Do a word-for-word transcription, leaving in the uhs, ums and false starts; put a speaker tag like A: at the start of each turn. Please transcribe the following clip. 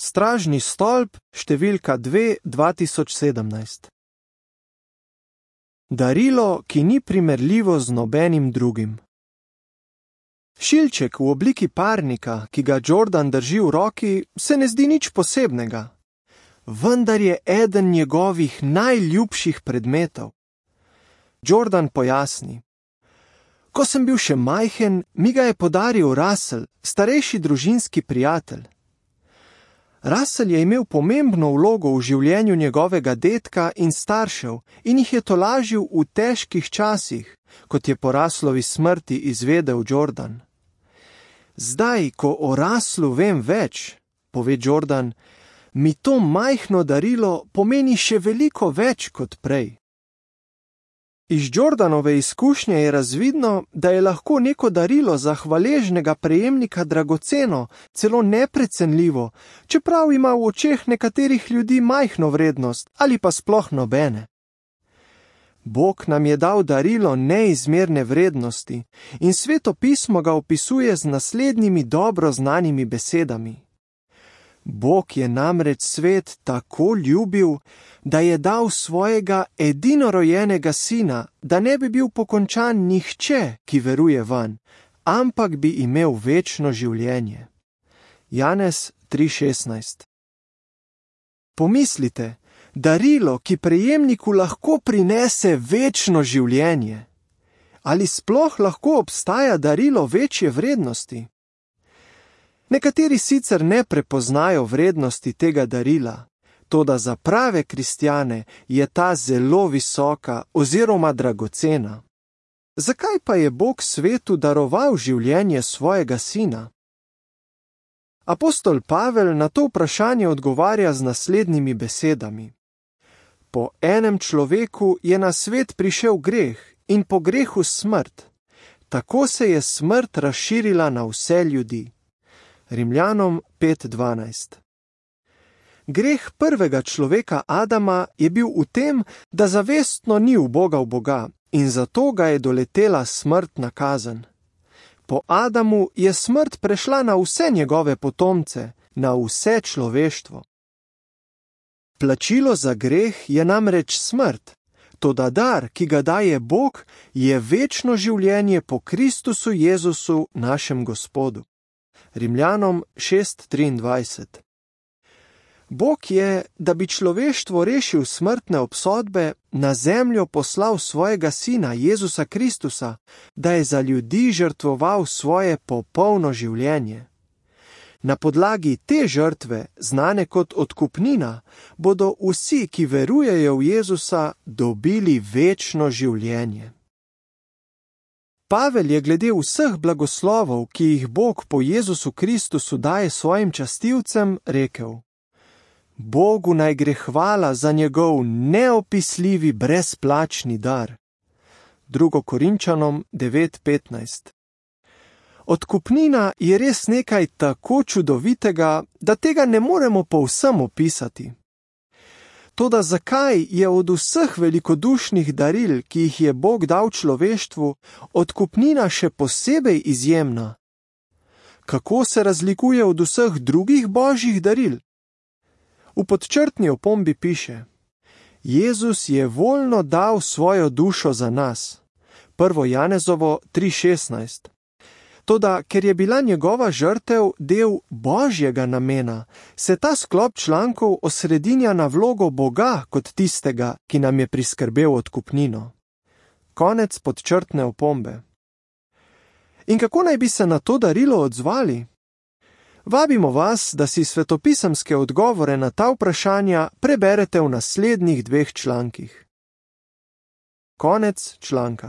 A: Stražni stolp, številka dve, dva tisoč sedemnajst. Darilo, ki ni primerljivo z nobenim drugim. Šilček v obliki parnika, ki ga Jordan drži v roki, se ne zdi nič posebnega, vendar je eden njegovih najljubših predmetov. Jordan pojasni: Ko sem bil še majhen, mi ga je podaril Russell, starejši družinski prijatelj. Russell je imel pomembno vlogo v življenju njegovega dedka in staršev in jih je tolažil v težkih časih, kot je po Russellovi smrti izvedel Jordan. Zdaj, ko o Russellu vem več, pove Jordan, mi to majhno darilo pomeni še veliko več kot prej. Iz Jordanove izkušnje je razvidno, da je lahko neko darilo za hvaležnega prejemnika dragoceno, celo neprecenljivo, čeprav ima v očeh nekaterih ljudi majhno vrednost ali pa sploh nobene. Bog nam je dal darilo neizmerne vrednosti in Sveto pismo ga opisuje z naslednjimi dobro znanimi besedami. Bog je namreč svet tako ljubil, da je dal svojega edinorojenega sina, da ne bi bil pokončan nihče, ki veruje vanj, ampak bi imel večno življenje. Janez tri šestnajst. Pomislite, darilo, ki prejemniku lahko prinese večno življenje. Ali sploh lahko obstaja darilo večje vrednosti? Nekateri sicer ne prepoznajo vrednosti tega darila, toda za prave kristjane je ta zelo visoka oziroma dragocena. Zakaj pa je Bog svetu daroval življenje svojega sina? Apostol Pavel na to vprašanje odgovarja z naslednjimi besedami. Po enem človeku je na svet prišel greh in po grehu smrt. Tako se je smrt razširila na vse ljudi. Rimljanom pet dvanajst. Greh prvega človeka Adama je bil v tem, da zavestno ni ubogal Boga in zato ga je doletela smrtna kazen. Po Adamu je smrt prešla na vse njegove potomce, na vse človeštvo. Plačilo za greh je namreč smrt, toda dar, ki ga daje Bog, je večno življenje po Kristusu Jezusu, našem Gospodu. Rimljanom šest triindvajset. Bog je, da bi človeštvo rešil smrtne obsodbe, na zemljo poslal svojega sina Jezusa Kristusa, da je za ljudi žrtvoval svoje popolno življenje. Na podlagi te žrtve, znane kot odkupnina, bodo vsi, ki verujejo v Jezusa, dobili večno življenje. Pavel je glede vseh blagoslovov, ki jih Bog po Jezusu Kristusu daje svojim častilcem, rekel: Bogu naj gre hvala za njegov neopisljivi brezplačni dar. drugo Korinčanom devet petnajst. Odkupnina je res nekaj tako čudovitega, da tega ne moremo povsem opisati. Toda zakaj je od vseh velikodušnih daril, ki jih je Bog dal človeštvu, odkupnina še posebej izjemna? Kako se razlikuje od vseh drugih božjih daril? V podčrtni opombi piše: Jezus je voljno dal svojo dušo za nas. prvo Janezovo tri šestnajst. Toda, ker je bila njegova žrtev del božjega namena, se ta sklop člankov osredinja na vlogo Boga kot tistega, ki nam je priskrbel odkupnino. Konec podčrtne opombe. In kako naj bi se na to darilo odzvali? Vabimo vas, da si svetopisemske odgovore na ta vprašanja preberete v naslednjih dveh člankih. Konec članka.